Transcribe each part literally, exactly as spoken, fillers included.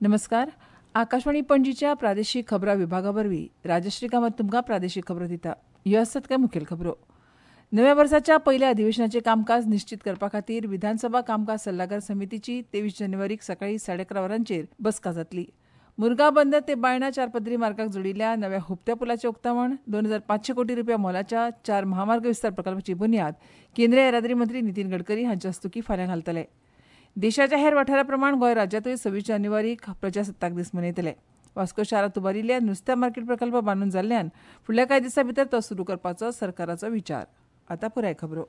नमस्कार. आकाशवाणी पणजीच्या प्रादेशीक खबरां विभागा वरवीं राजश्री कामत तुमकां प्रादेशीक खबरो दिता. ह्यो आसात कांय मुखेल खबरो. नव्या वर्साच्या पयल्या अधिवेशनाचें कामकाज निश्चीत करपा खातीर विधानसभा कामकाज सल्लागार समितीची तेवीस जानेवारीक सकाळीं साडे अकरा वरांचेर बसका जातली. मुरगांव बंदर ते बायणा चार पदरी मार्गाक जोडिल्ल्या नव्या हुपत्या पुलाचें उक्तावण, दोन हजार पांचशे कोटी रुपया मोलाच्या चार महामार्ग विस्तार प्रकल्पाची बुन्याद केंद्रीय येरादारी मंत्री नितीन गडकरी हांच्या हस्तुकीं फाल्यां घालतले. देशाच्या हेर वाठारा प्रमाण गोंय राज्यांतूय सव्वीस जानेवारीक प्रजासत्ताक दीस मनयतले. वास्को शारांत उबारिल्ल्या नुस्त्या मार्केट प्रकल्प बांदून जाल्ल्यान फुडल्या कांय दिसां भितर तो सुरू करपाचो सरकाराचो विचार. आतां पुराय खबरो.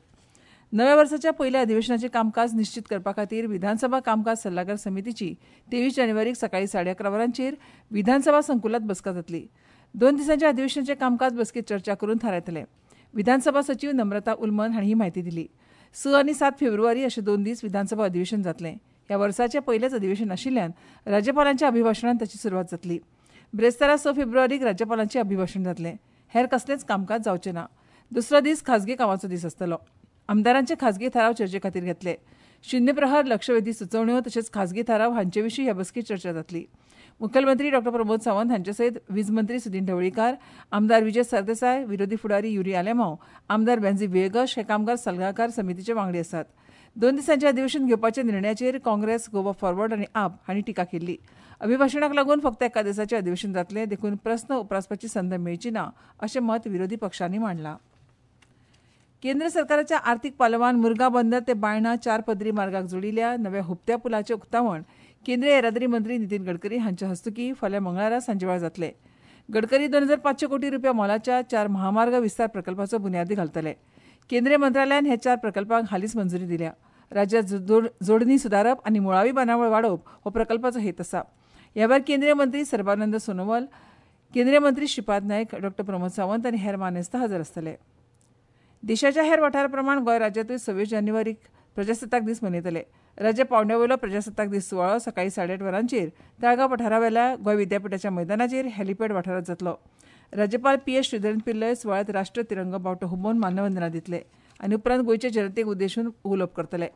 नव्या वर्साच्या पयल्या अधिवेशनाचें कामकाज निश्चीत करपा खातीर विधानसभा कामकाज सल्लागार समितीची तेवीस जानेवारीक सकाळीं साडे अकरा वरांचेर विधानसभा संकुलांत बसका जातली. दोन दिसांच्या अधिवेशनाचें कामकाज बसकेंत चर्चा करून थारायतले. विधानसभा सचीव नम्रता उलमन हांणी ही म्हायती दिली. स आनी सात फेब्रुवारी अशे दोन दीस विधानसभा अधिवेशन जातलें. ह्या वर्साचें पयलेंच अधिवेशन आशिल्ल्यान राज्यपालांच्या अभिभाशणान ताची सुरवात जातली. ब्रेस्तारा स फेब्रुवारीक राज्यपालांचें अभिभाशण जातलें. हेर कसलेंच कामकाज जावचें ना. दुसरो दीस खाजगी कामाचो दीस आसतलो. आमदारांचे खाजगी थाराव चर्चे खातीर घेतले. शुन्य प्रहर, लक्षवेधी सुचोवण्यो तशेंच खाजगी थाराव हांचे विशीं ह्या बसकेंत चर्चा जातली. मुखेलमंत्री डॉ प्रमोद सावंत हांचे सयत वीज मंत्री सुदिन ढवळीकार, आमदार विजय सरदेसाय, विरोधी फुडारी युरी आलेमांव, आमदार बेंजी व्हिएगश हे कामगार सल्लागार समितीचे वांगडी आसात. दोन दिसांचें अधिवेशन घेवपाच्या निर्णयाचेर काँग्रेस, गोवा फॉरवर्ड आनी आप हांणी टिका केल्ली. अभिभाशणाक लागून फक्त एका दिसाचें अधिवेशन जातलें, देखून प्रस्न उप्रासपाची संद मेळची ना अशें मत विरोधी पक्षांनी मांडलां. केंद्र सरकाराच्या आर्थीक पालवान मुरगांव बंदर ते बायणा चार पदरी मार्गाक जोडिल्ल्या नव्या हुपत्या पुलाचें उक्तावण केंद्रीय येरादारी मंत्री नितीन गडकरी हांच्या हस्तुकीं फाल्यां मंगळारा सांजेवेळार जातलें. गडकरी दोन हजार पांचशे कोटी रुपया मोलाच्या चार महामार्ग विस्तार प्रकल्पाचो बुन्यादी घालतले. केंद्रीय मंत्रालयान ह्या चार प्रकल्पांक हालींच मंजुरी दिल्या. राज्यांत जोडणी सुदारप आनी मुळावी बांदावळ वाडोवप हो प्रकल्पाचो हेत आसा. ह्या वेळार केंद्रीय मंत्री सर्बानंद सोनोवाल, केंद्रीय मंत्री श्रीपाद नायक, डॉ प्रमोद सावंत आनी हेर मानेस्त हजर आसतले. देशाच्या हेर वाठारा प्रमाण गोंय राज्यांतूय सव्वीस जानेवारीक प्रजासत्ताक दीस मनयतले. राज्य पांवड्या वयलो प्रजासत्ताक दीस सुवाळो सकाळीं साडे आठ वरांचेर ताळगांव पठारावेल्या गोंय विद्यापिठाच्या मैदानाचेर हेलिपॅड वाठारांत जातलो. राज्यपाल पी एस श्रीधरन पिल्लय सुवाळ्यांत राष्ट्रीय तिरंगो बावटो हुबोवन मानवंदना दितले आनी उपरांत गोंयच्या जनतेक उद्देशून उलोवप करतले.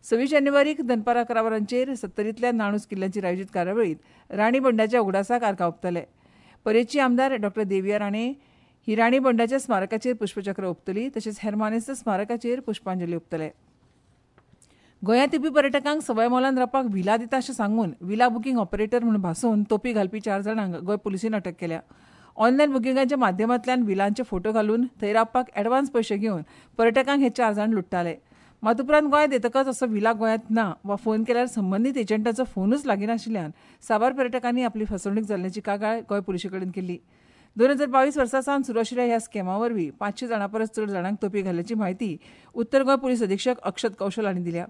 सव्वीस जानेवारीक दनपारां अकरा वरांचेर सत्तरींतल्या नाणूस किल्ल्याचेर आयोजीत कार्यावळींत राणी बंडाच्या उगडासाक आर्गां ओंपतले. परेची आमदार डॉ देविया राणे ही राणी बंडाच्या स्मारकाचेर पुष्पचक्र ओंपतली, तशेंच हेर मानेस्त स्मारकाचेर पुष्पांजली ओंपतले. गोंयांत येवपी पर्यटकांक सवाय मोलान रावपाक व्हिला दिता अशें सांगून व्हिला बुकींग ऑपरेटर म्हूण भासोवन तोपी घालपी चार जाणांक गोंय पुलिसेन अटक केल्या. ऑनलायन बुकिंगाच्या माध्यमांतल्यान व्हिलांचे फोटो घालून थंय रावपाक एडवान्स पयशे घेवन पर्यटकांक हे चार जाण लुट्टाले. मात उपरांत गोंयांत येतकच असो व्हिला गोंयांत ना वा फोन केल्यार संबंदीत एजंटाचो फोनूच लागीनाशिल्ल्यान साबार पर्यटकांनी आपली फसवणूक जाल्ल्याची कागाळ गोंय पुलिसे कडेन केल्ली. दोन हजार बावीस वर्सा सावन सुरू आशिल्ल्या ह्या स्कॅमा वरवीं पांचशे जाणां परस चड जाणांक तोपी घाल्ल्याची म्हायती उत्तर गोंय पुलीस अधिक्षक अक्षत कौशल हांणी दिल्या.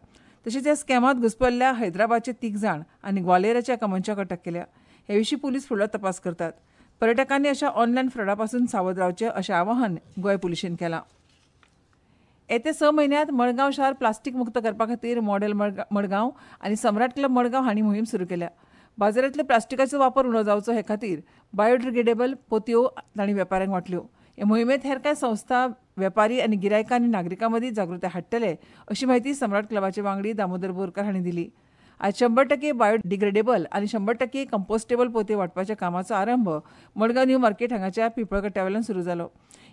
तशेंच ह्या स्कॅमांत घुस्पल्ल्या हैदराबादचे तीग जाण आनी ग्वालेराच्या एका मनशाक अटक केल्या. हे विशीं पुलीस फुडलो तपास करतात. पर्यटकांनी अशा ऑनलायन फ्रॉडा पासून सावध रावचें अशें आवाहन गोंय पुलिशेन केलां. येत्या स म्हयन्यांत मडगांव शार प्लास्टीक मुक्त करपा खातीर मॉडेल मडगांव आनी सम्राट क्लब मडगांव हांणी मोहीम सुरू केल्या. बाजारांतल्या प्लास्टिकाचो वापर उणो जावचो हे खातीर बायोडिग्रेडेबल पोतयो तांणी वेपाऱ्यांक वांटल्यो. हे मोहिमेंत हेर कांय संस्था, वेपारी आनी गिरायकां आनी नागरिकां मदीं जागृताय हाडटले अशी म्हायती सम्राट क्लबाचे वांगडी दामोदर बोरकार हांणी दिली. आज शंबर टक्के बायोडिग्रेडेबल आनी शंबर टक्के कंपोस्टेबल पोतयो वांटपाच्या कामाचो आरंभ मडगांव न्यू मार्केट हांगाच्या पिंपळकट्ट्यावेल्यान सुरू जालो.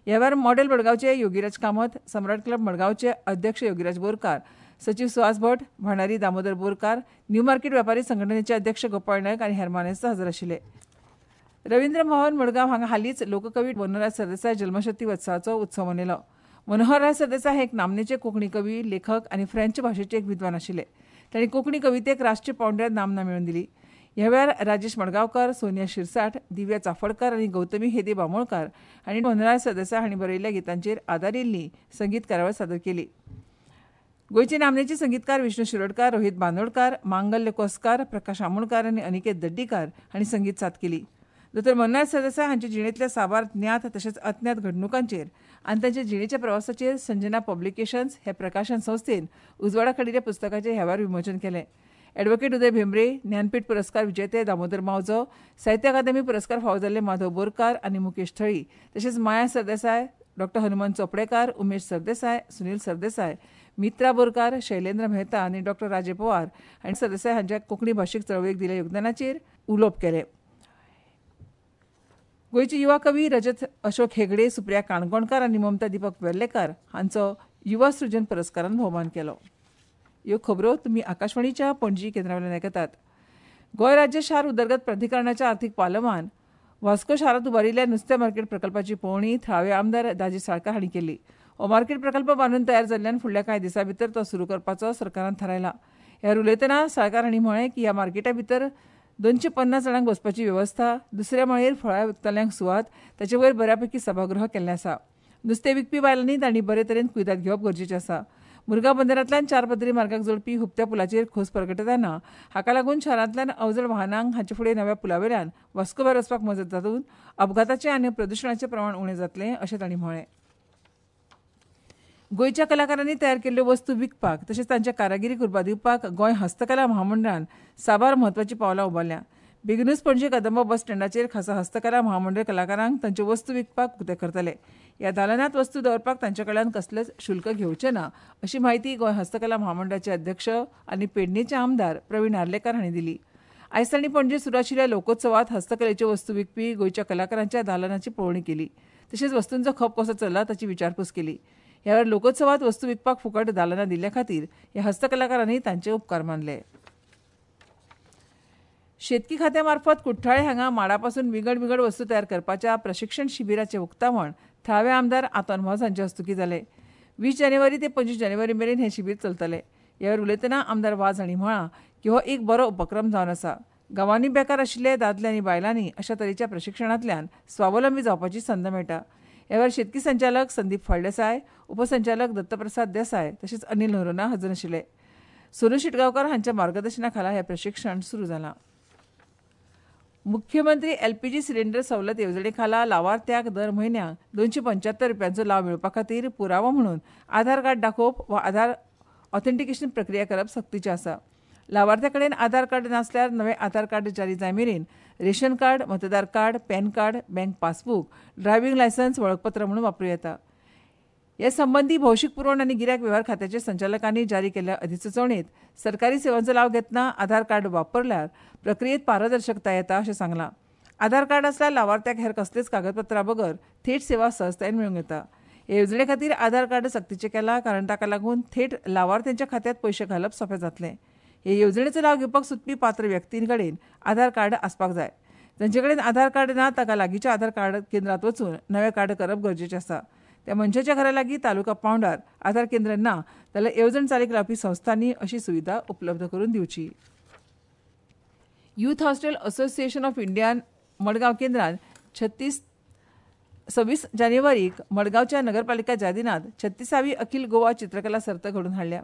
ह्या वेळार मॉडेल मडगांवचे योगीराज कामत, सम्राट क्लब मडगांवचे अध्यक्ष योगीराज बोरकार, सचीव सुहास भट, भांडारी दामोदर बोरकार, न्यू मार्केट वेपारी संघटनेचे अध्यक्ष गोपाळ नायक आनी हेर मानेस्त हजर आशिल्ले. रवींद्र भवन मडगांव हांगा हालींच लोककवी मनोहरराय सरदेसाय जल्मशती उत्सवाचो उत्सव मनयलो. मनोहरराय सरदेसाय हे एक नामनेचे कोंकणी कवी, लेखक आनी फ्रेंच भाशेचे एक विद्वान आशिल्ले. तांणी कोंकणी कवितेक राष्ट्रीय पांवड्यार नामना मेळोवन दिली. ह्या वेळार राजेश मडगांवकार, सोनिया शिरसाट, दिव्या चाफडकार आनी गौतमी हेदे बामोणकार हांणी मनोहरराय सरदेसाय हांणी बरयल्ल्या गितांचेर आदारिल्ली संगीत कार्यावळ सादर केली. गोंयचे नामनेचे संगीतकार विष्णू शिरोडकार, रोहित बांदोडकार, मांगल्य कोसकार, प्रकाश आमोणकार आनी अनिकेत दड्डीकार हांणी संगीत साथ केली. दोतोर मनोहर सरदेसाय हांच्या जिणेंतल्या साबार ज्ञात तशेंच अज्ञात घडणुकांचेर आनी तांच्या जिणेच्या प्रवासाचेर संजना पब्लिकेशन्स हे प्रकाशन संस्थेन उजवाडा काडिल्ल्या पुस्तकाचें ह्या वेळार विमोचन केलें. ॲडव्होकेट उदय भेंब्रे, ज्ञानपीठ पुरस्कार विजेते दामोदर मावजो, साहित्य अकादमी पुरस्कार फावो जाल्ले माधव बोरकार आनी मुकेश थळी, तशेंच माया सरदेसाय, डॉक्टर हनुमंत चोपडेकार, उमेश सरदेसाय, सुनील सरदेसाय, मित्रा बोरकार, शैलेंद्र मेहता आनी डॉक्टर राजे पवार हांणी सरदेसाय हांच्या कोंकणी भाशीक चळवळीक दिल्ल्या योगदानाचेर उलोवप केलें. गोंयचे युवा कवी रजत अशोक हेगडे, सुप्रिया काणकोणकार आनी ममता दीपक वेर्लेकार हांचो युवा सृजन पुरस्कारान भोवमान केलो. ह्यो खबरो तुमी आकाशवाणीच्या पणजी केंद्रा वयल्यान आयकतात. गोंय राज्य शार उदरगत प्राधिकरणाच्या आर्थीक पालवान वास्को शारांत उबारिल्ल्या नुस्त्या मार्केट प्रकल्पाची पळोवणी थळावे आमदार दाजी साळकार हांणी केली. हो मार्केट प्रकल्प बांदून तयार जाल्ल्यान फुडल्या कांय दिसां भितर तो सुरू करपाचो सरकारान थारायला. ह्या उलयतना साळकार हांणी म्हळें की ह्या मार्केटा भितर दोनशे पन्नास जाणांक बसपाची वेवस्था, दुसऱ्या माळयेर फळां विकतल्यांक सुवात, ताचे वयर बऱ्यापैकी सभागृह केल्लें आसा. नुस्तें विकपी बायलांनी तांणी बरे तरेन कुयदाद घेवप गरजेचें आसा. मुरगांव बंदरांतल्यान चार पदरी मार्गाक जोडपी हुपत्या पुलाचेर खोस परगटतना हाका लागून शारांतल्यान अवजड वाहनांक हाचे फुडें नव्या पुलावेल्यान वास्को भायर वचपाक मजत जातून अपघाताचें आनी प्रदुशणाचें प्रमाण उणें जातलें अशें तांणी म्हळें. गोंयच्या कलाकारांनी तयार केल्ल्यो वस्तू विकपाक तशेंच तांच्या कारागिरीक उर्बा दिवपाक गोंय हस्तकला महामंडळान साबार म्हत्वाचीं पावलां उबारल्यां. बेगिनूच पणजे कदंबा बस स्टँडाचेर खासा हस्तकला महामंडळ कलाकारांक तांच्यो वस्तू विकपाक उकते करतले. ह्या दालनांत वस्तू दवरपाक तांचे कडल्यान कसलेंच शुल्क घेवचें ना अशी म्हायती गोंय हस्तकला महामंडळाचे अध्यक्ष आनी पेडणेचे आमदार प्रवीण आर्लेकार हांणी दिली. आयज तांणी पणजे सुरू आशिल्ल्या लोकोत्सवात हस्तकलेच्यो वस्तू विकपी गोंयच्या कलाकारांच्या दालनाची पळोवणी केली. तशेंच वस्तूंचो खप कसो चल्ला ताची विचारपूस केली. ह्या वेळार लोकोत्सवात वस्तू विकपाक फुकट दालनां दिल्ल्या खातीर ह्या हस्तकलाकारांनी तांचे उपकार मानले. शेतकी खात्या मार्फत कुठ्ठाळे हांगा माडापासून विंगड विंगड वस्तू तयार करपाच्या प्रशिक्षण शिबिराचें उक्तावण थळावे आमदार आतोन वाज हांचे हस्तुकीं जालें. वीस जानेवारी ते पंचवीस जानेवारी मेरेन हें शिबीर चलतलें. ह्या वेळार उलयतना आमदार वाज हांणी म्हळां की हो एक बरो उपक्रम जावन आसा. गांवांनी बेकार आशिल्ले दादले आनी बायलांनी अशा तरेच्या प्रशिक्षणांतल्यान स्वावलंबी जावपाची संद मेळटा. ह्या वेळार शेतकी संचालक संदीप फळदेसाय, उपसंचालक दत्तप्रसाद देसाय तशेंच अनिल नोरोना हजर आशिल्ले. सोनू शेटगांवकार हांच्या मार्गदर्शना खाला हें प्रशिक्षण सुरू जालां. मुख्यमंत्री एलपीजी सिलिंडर सवलत येवजणे खाला लावार्थ्याक दर म्हयन्याक दोनशे पंच्यात्तर रुपयांचो लाव मेळोवपा खातीर पुरावो म्हणून आधार कार्ड दाखोवप वा आधार ऑथेंटिकेशन प्रक्रिया करप सक्तीचें आसा. लावार्थ्या कडेन आधार कार्ड नासल्यार नवें आधार कार्ड जारी जाय मेरेन रेशन कार्ड, मतदार card, PAN card, bank passbook, driving licence वळखपत्र म्हणून वापरूं येता. हे संबंदी भौशीक पुरवण आनी गिरायक वेव्हार खात्याच्या संचालकांनी जारी केल्ल्या अधिसुचोवणेंत सरकारी सेवांचो लाव घेतना आधार कार्ड वापरल्यार प्रक्रियेत पारदर्शकता येता अशें सांगलां. आधार कार्ड आसल्यार लावार्थ्याक हेर कसलेच कागदपत्रां बगर थेट सेवा सहजतायेन मेळूंक येता. हे येवजणे खातीर आधार कार्ड सक्तीचें केलां कारण ताका लागून थेट लावार्थ्यांच्या खात्यांत पयशे घालप सोंपें जातलें. हे येवजणेचो लाव घेवपाक सोदपी पात्र व्यक्तीं कडेन आधार कार्ड आसपाक जाय. जांचे कडेन आधार कार्ड ना ताका लागींच्या आधार कार्ड केंद्रांत वचून नवें कार्ड करप गरजेचें आसा. त्या मनशाच्या घरा लागीं तालुका पांवड्यार आधार केंद्र ना जाल्यार येवजण चालीक लावपी संस्थांनी अशी सुविधा उपलब्ध करून दिवची. युथ हॉस्टेल असोसिएशन ऑफ इंडियान मडगांव केंद्रान छत्तीस सव्वीस जानेवारीक मडगांवच्या नगरपालिका जादिनांत छत्तीसावी अखिल गोवा चित्रकला सर्त घडोवन हाडल्या.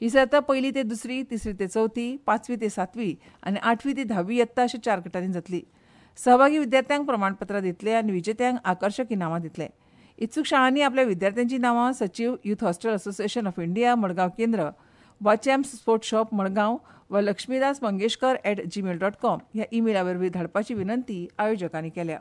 ही सर्त पयली ते दुसरी, तिसरी ते चवथी, पांचवी ते सातवी आनी आठवी ते धावी यत्ता अशा चार गटांनी जातली. सहभागी विद्यार्थ्यांक प्रमाणपत्रां दितले आनी विजेत्यांक आकर्शक इनामां दितले. इत्सूक शाळांनी आपल्या विद्यार्थ्यांची नांवां सचीव youth hostel association of India Madgaon केंद्र वा चॅम्प्स स्पोर्ट्स शॉप मडगांव वा Laxmidas Mangeshkar at Gmail dot com ह्या ईमेला वरवीं धाडपाची विनंती आयोजकांनी केल्या.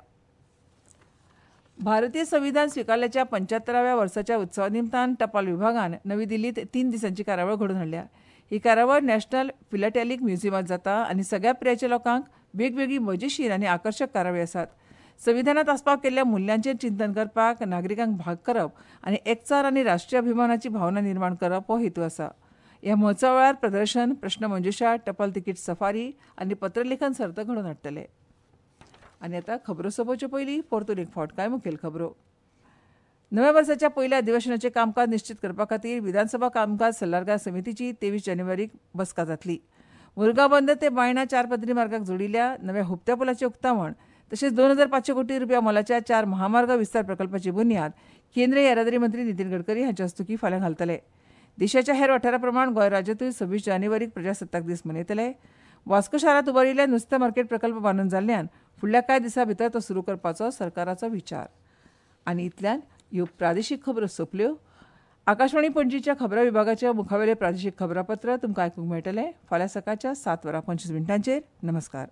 भारतीय संविधान स्विकारल्याच्या पंच्यात्तराव्या वर्साच्या उत्सवा निमतान टपाल विभागान नवी दिल्लीत तीन दिसांची कार्यावळ घडोवन हाडल्या. ही कार्यावळ नॅशनल फिलाटेलिक म्युझियमांत जाता आनी सगळ्या पिरायेच्या लोकांक वेगवेगळी मजेशीर आनी आकर्शक कार्यावळी आसात. संविधानात आस्पाव केल्ल्या मुल्यांचेर चिंतन करपाक नागरिकांक भाग करप आनी एकचार आनी राष्ट्रीय अभिमानाची भावना निर्माण करप हो हेतू आसा. ह्या महोत्सवा वेळार प्रदर्शन, प्रश्नमंजुषा, टपाल तिकीट सफारी आनी पत्रलेखन सर्त घडोवन हाडटले. आनी आतां खबरो सोंपोवचे पयलीं परतून एक फावट कांय मुखेल खबरो. नव्या वर्साच्या पयल्या अधिवेशनाचें कामकाज निश्चीत करपा खातीर विधानसभा कामकाज सल्लागार समितीची तेवीस जानेवारीक बसका जातली. मुरगांव बंदर ते बायणा चार पदरी मार्गाक जोडिल्ल्या नव्या हुपत्या पुलाचें उक्तावण तशेंच दोन हजार पांचशे कोटी रुपया मोलाच्या चार महामार्ग विस्तार प्रकल्पाची बुन्याद केंद्रीय येरादारी मंत्री नितीन गडकरी हांच्या हस्तुकीं फाल्यां घालतले. देशाच्या हेर वाठारा प्रमाण गोंय राज्यांतूय सव्वीस जानेवारीक प्रजासत्ताक दीस मनयतले. वास्को शारांत उबारिल्ल्या नुस्तें मार्केट प्रकल्प बांदून जाल्ल्यान फुडल्या कांय दिसां भितर तो सुरू करपाचो सरकाराचो विचार. आनी इतल्यान ह्यो प्रादेशीक खबरो सोंपल्यो. आकाशवाणी पणजीच्या खबरां विभागाच्या मुखावेलें प्रादेशीक खबरापत्र तुमकां आयकूंक मेळटलें फाल्यां सकाळच्या सात वरां पंचवीस मिनटांचेर. नमस्कार.